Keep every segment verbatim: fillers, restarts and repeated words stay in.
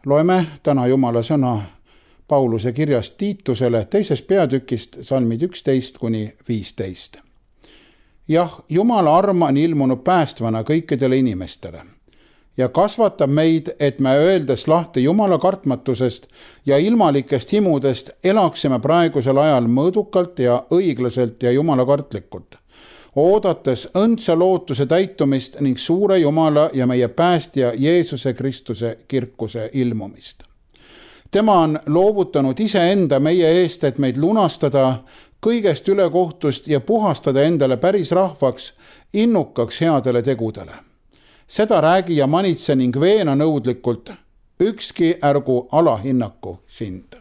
Loeme täna Jumala sõna Pauluse kirjast Tiitusele teisest peatükist salmid üksteist kuni viisteist. Jah, Jumala arm on ilmunud päästvana kõikidele inimestele ja kasvatab meid, et me öeldes lahti Jumala kartmatusest ja ilmalikest himudest elaksime praegusel ajal mõõdukalt ja õiglaselt ja Jumala kartlikult, oodates õndsa lootuse täitumist ning suure Jumala ja meie päästja Jeesuse Kristuse kirkuse ilmumist. Tema on loovutanud iseenda meie eest, et meid lunastada kõigest ülekohtust ja puhastada endale päris rahvaks, innukaks headele tegudele. Seda räägi ja manitse ning veena nõudlikult, ükski ärgu alahinnaku sind.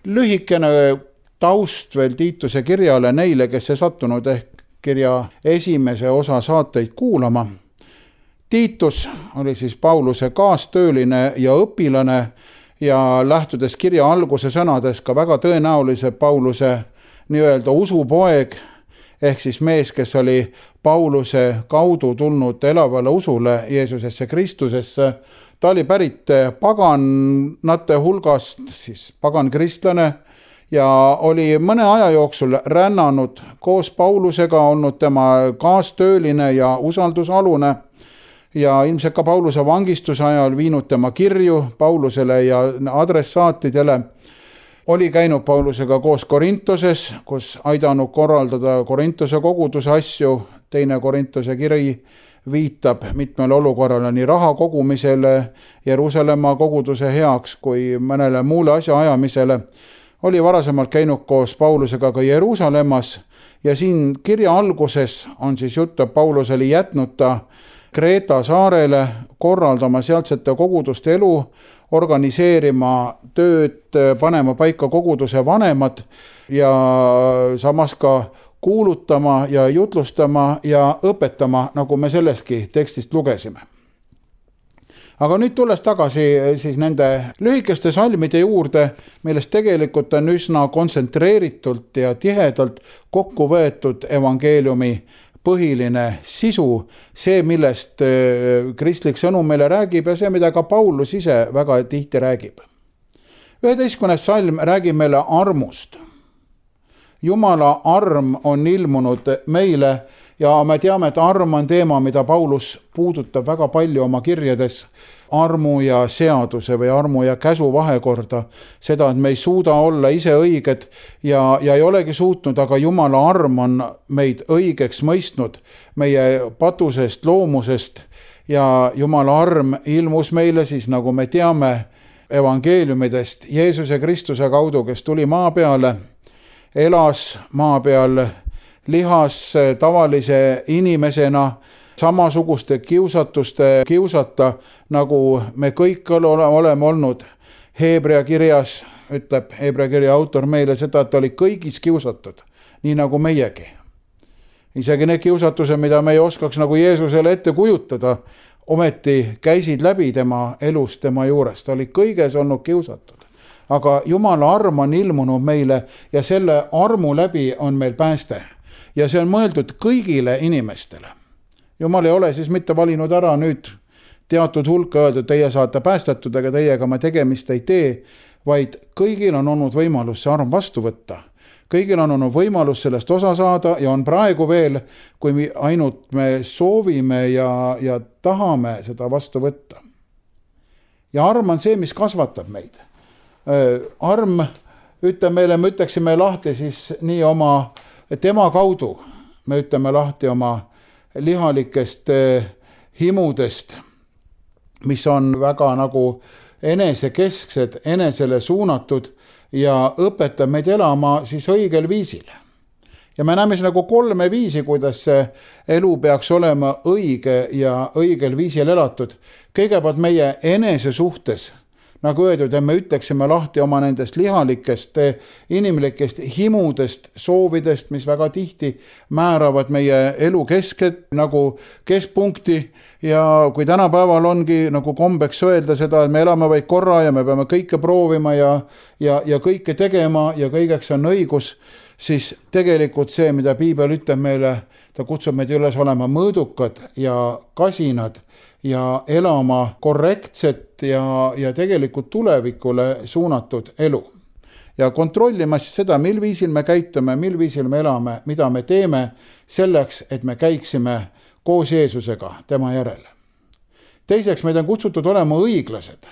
Lühikene taust veel Tiituse kirjale neile, kes ei sattunud ehk kirja esimese osa saateid kuulama. Tiitus oli siis Pauluse kaastööline ja õpilane ja lähtudes kirja alguse sõnades ka väga tõenäolise Pauluse nii-öelda usupoeg, ehk siis mees, kes oli Pauluse kaudu tulnud elavale usule Jeesusesse Kristusesse. Ta oli pärit paganate hulgast, siis pagan kristlane, ja oli mõne aja jooksul rännanud koos Paulusega, olnud tema kaastööline ja usaldusalune ja ilmselt ka Pauluse vangistuse ajal viinud tema kirju Paulusele ja adressaatidele. Oli käinud Paulusega koos Korintoses, kus aidanud korraldada Korintose koguduse asju. Teine Korintose kiri viitab mitmele olukorrale nii raha kogumisele, Jeruusalemma koguduse heaks kui mõnele muule asja ajamisele. Oli varasemalt käinud koos Paulusega ka Jeruusalemmas ja siin kirja alguses on siis jutt, et Paulus oli jätnud ta Kreeta saarele korraldama sealtsete koguduste elu, organiseerima tööd, panema paika koguduse vanemad ja samas ka kuulutama ja jutlustama ja õpetama, nagu me selleski tekstist lugesime. Aga nüüd tulles tagasi siis nende lühikeste salmide juurde, millest tegelikult on üsna kontsentreeritult ja tihedalt kokku võetud evangeeliumi põhiline sisu, see, millest kristlik sõnum meile räägib ja see, mida ka Paulus ise väga tihti räägib. üheteistkümnes salm räägib meile armust. Jumala arm on ilmunud meile ja me teame, et arm on teema, mida Paulus puudutab väga palju oma kirjades, armu ja seaduse või armu ja käsu vahekorda, seda, et me ei suuda olla ise õiged ja, ja ei olegi suutnud, aga Jumala arm on meid õigeks mõistnud meie patusest loomusest ja Jumala arm ilmus meile siis, nagu me teame evangeeliumidest, Jeesuse Kristuse kaudu, kes tuli maa peale, elas maa peal, lihas tavalise inimesena, samasuguste kiusatuste kiusata, nagu me kõik oleme olnud. Heebrea kirjas ütleb Heebrea kirja autor meile seda, et oli kõigis kiusatud, nii nagu meiegi. Isegi need kiusatused, mida me ei oskaks nagu Jeesusele ette kujutada, ometi käisid läbi tema elust, tema juurest. Ta oli kõiges olnud kiusatud. Aga Jumala arm on ilmunud meile ja selle armu läbi on meil pääste. Ja see on mõeldud kõigile inimestele. Jumal ei ole siis mitte valinud ära nüüd teatud hulka öeldud, teie saate päästetud, aga teiega me tegemist ei tee, vaid kõigil on olnud võimalus see arm vastu võtta. Kõigil on olnud võimalus sellest osa saada ja on praegu veel, kui ainult me soovime ja, ja tahame seda vastu võtta. Ja arm on see, mis kasvatab meid. Arm, ütleme meile, me ütleksime lahti siis nii oma tema kaudu, me ütleme lahti oma lihalikest himudest, mis on väga nagu enesekesksed, enesele suunatud ja õpetab meid elama siis õigel viisil. Ja me näeme nagu kolme viisi, kuidas see elu peaks olema õige ja õigel viisil elatud. Kõigepealt meie enese suhtes, nagu öeldud, et me ütleksime lahti oma nendest lihalikest, inimlikest himudest, soovidest, mis väga tihti määravad meie elu kesket nagu keskpunkti. Ja kui tänapäeval ongi nagu kombeks öelda seda, et me elame vaid korra ja me peame kõike proovima ja, ja, ja kõike tegema ja kõigeks on õigus, siis tegelikult see, mida piibel ütleb meile, ta kutsub meid üles olema mõõdukad ja kasinad ja elama korrektset ja, ja tegelikult tulevikule suunatud elu. Ja kontrollima seda, mil viisil me käitume, mil viisil me elame, mida me teeme selleks, et me käiksime koos Jeesusega tema järele. Teiseks, meid on kutsutud olema õiglased.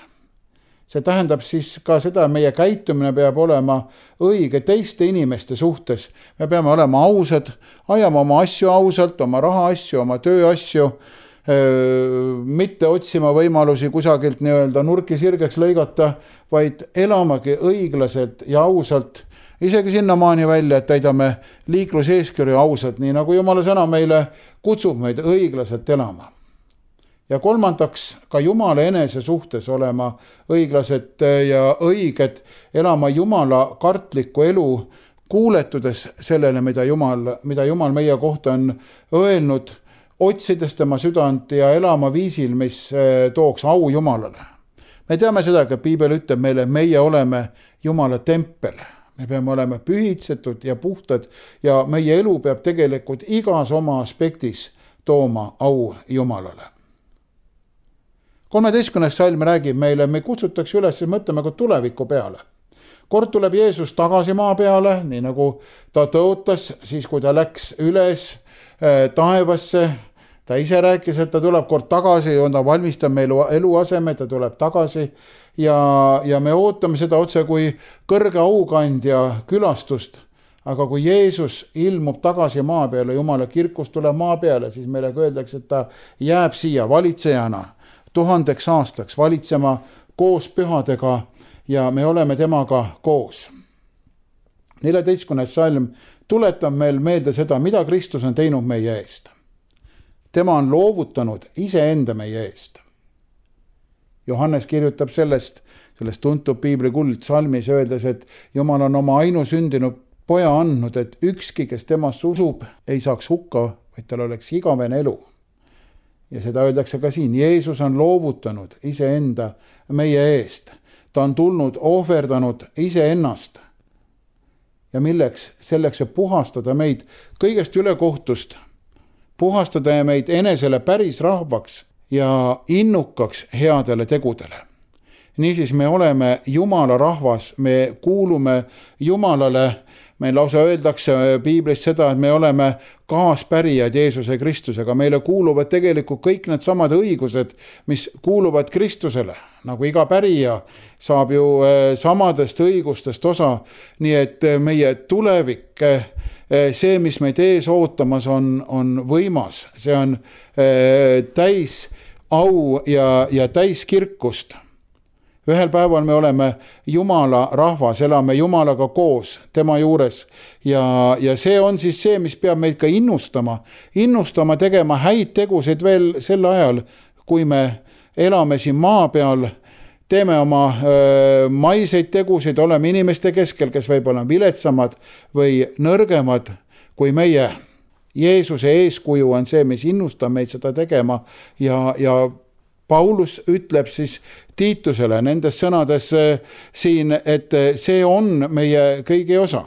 See tähendab siis ka seda, meie käitumine peab olema õige teiste inimeste suhtes. Me peame olema ausad, ajama oma asju ausalt, oma raha asju, oma töö asju, mitte otsima võimalusi kusagilt nii-öelda nurki sirgeks lõigata, vaid elamagi õiglaselt ja ausalt, isegi sinnamaani välja, et täidame liikluseeskirju ausalt, nii nagu Jumala sõna meile kutsub meid õiglaselt elama. Ja kolmandaks, ka Jumala enese suhtes olema õiglased ja õiged, elama Jumala kartlikku elu, kuuletudes sellele, mida Jumal, mida Jumal meie kohta on öelnud, otsides tema südant ja elama viisil, mis tooks au Jumalale. Me teame seda, et piibel ütleb meile, meie oleme Jumala tempel. Me peame olema pühitsetud ja puhtad ja meie elu peab tegelikult igas oma aspektis tooma au Jumalale. kolmeteistkümnes salm räägib meile, me kutsutakse üles mõtlema ka tuleviku peale. Kord tuleb Jeesus tagasi maa peale, nii nagu ta tõotas, siis kui ta läks üles taevasse, ta ise rääkis, et ta tuleb kord tagasi, on ta valmistab meil eluaseme, ta tuleb tagasi ja, ja me ootame seda otse kui kõrge aukandja külastust. Aga kui Jeesus ilmub tagasi maa peale, Jumala kirkus tuleb maa peale, siis meile öeldakse, et ta jääb siia valitsejana tuhandeks aastaks valitsema koos pühadega ja me oleme temaga koos. neljateistkümnes salm tuletab meil meelde seda, mida Kristus on teinud meie eest. Tema on loovutanud iseenda meie eest. Johannes kirjutab sellest, sellest tuntub piibli kuldsalmis öeldes, et Jumal on oma ainusündinud poja andnud, et ükski, kes temast usub, ei saaks hukka, vaid tal oleks igavene elu. Ja seda öeldakse ka siin, Jeesus on loovutanud iseenda meie eest. Ta on tulnud, ohverdanud iseennast. Ja milleks? Selleks, et puhastada meid kõigest ülekohtust, puhastada meid enesele päris rahvaks ja innukaks headele tegudele. Niisiis me oleme Jumala rahvas, me kuulume Jumalale, meil lausa öeldakse piiblis seda, et me oleme kaaspärijad Jeesuse Kristusega, meile kuuluvad tegelikult kõik need samad õigused, mis kuuluvad Kristusele, nagu iga pärija saab ju samadest õigustest osa, nii et meie tulevik, see, mis meid ees ootamas on, on võimas, see on täis au ja, ja täis kirkust. Ühel päeval me oleme Jumala rahvas, elame Jumalaga koos, tema juures ja, ja see on siis see, mis peab meid ka innustama, innustama tegema häid tegusid veel sel ajal, kui me elame siin maa peal, teeme oma öö, maiseid tegusid, oleme inimeste keskel, kes võib-olla viletsamad või nõrgemad kui meie. Jeesuse eeskuju on see, mis innustab meid seda tegema ja, ja Paulus ütleb siis Tiitusele nendes sõnades siin, et see on meie kõigi osa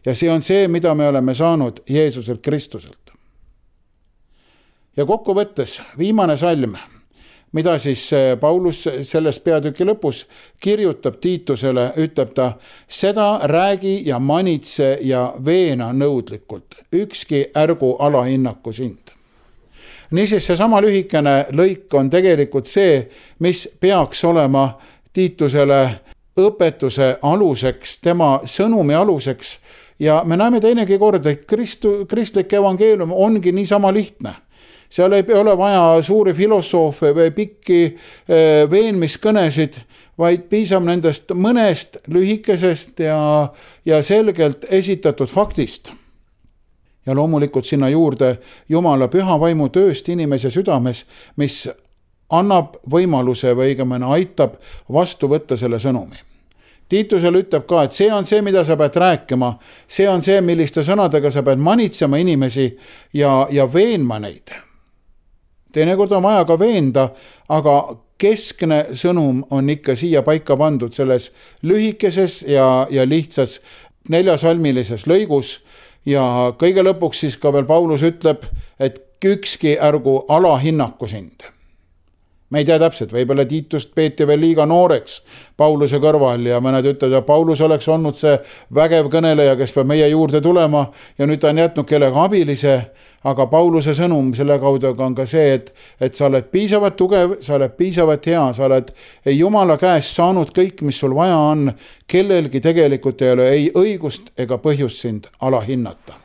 ja see on see, mida me oleme saanud Jeesuselt Kristuselt. Ja kokkuvõttes viimane salm, mida siis Paulus sellest peatüki lõpus kirjutab Tiitusele, ütleb ta, seda räägi ja manitse ja veena nõudlikult, ükski ärgu alahinnaku sind. Niisiis see sama lühikene lõik on tegelikult see, mis peaks olema Tiitusele õpetuse aluseks, tema sõnumi aluseks ja me näeme teinegi kord, et Kristu, kristlik evangeelium ongi niisama lihtne. Seal ei ole vaja suuri filosoofe või pikki veenmiskõnesid, vaid piisab nendest mõnest lühikesest ja, ja selgelt esitatud faktist. Ja loomulikult sinna juurde Jumala püha vaimu tööst inimese südames, mis annab võimaluse või õigemini aitab vastu võtta selle sõnumi. Tiitusel ütleb ka, et see on see, mida sa pead rääkima, see on see, milliste sõnadega sa pead manitsema inimesi ja, ja veenma neid. Teinekord on vaja ka veenda, aga keskne sõnum on ikka siia paika pandud selles lühikeses ja, ja lihtsas neljasalmilises lõigus ja kõige lõpuks siis ka veel Paulus ütleb, et ükski ärgu alahinnaku sind. Me ei tea täpselt, võibolla Tiitust peeti veel liiga nooreks Pauluse kõrval ja mõned ütlevad, et Paulus oleks olnud see vägev kõneleja, kes peab meie juurde tulema ja nüüd ta on jätnud kellega abilise, aga Pauluse sõnum selle kaudu on ka see, et, et sa oled piisavalt tugev, sa oled piisavalt hea, sa oled Jumala käest saanud kõik, mis sul vaja on, kellelgi tegelikult ei ole ei õigust ega põhjust sind alahinnata.